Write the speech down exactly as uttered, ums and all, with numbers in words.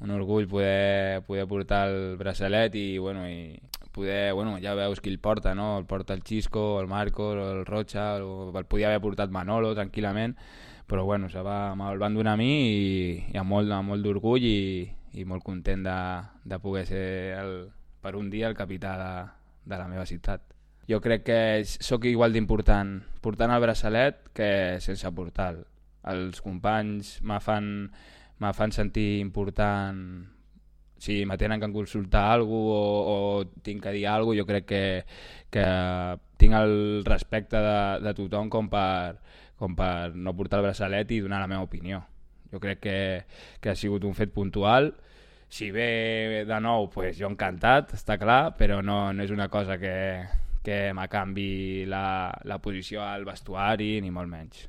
un orgull poder, poder portar el braçalet i, bueno, i poder, bueno, ja veus qui el porta, no? El porta el Xisco, el Marcos, el Rocha, el, el podia haver portat Manolo tranquil·lament, però bueno, se va, me'l van donar a mi i, i amb molt, amb molt d'orgull i, i molt content de, de poder ser el, per un dia el capità de, de la meva ciutat. Jo crec que sóc igual d'important portant el braçalet que sense portar-lo. Els companys me fan, me fan sentir important. Si me tenen que consultar alguna cosa o, o tinc que dir alguna cosa, jo crec que, que tinc el respecte de, de tothom com per, com per no portar el braçalet i donar la meva opinió. Jo crec que, que ha sigut un fet puntual. Si ve de nou, pues jo encantat, està clar, però no, no és una cosa que, que me canvi la, la posició al vestuari, ni molt menys.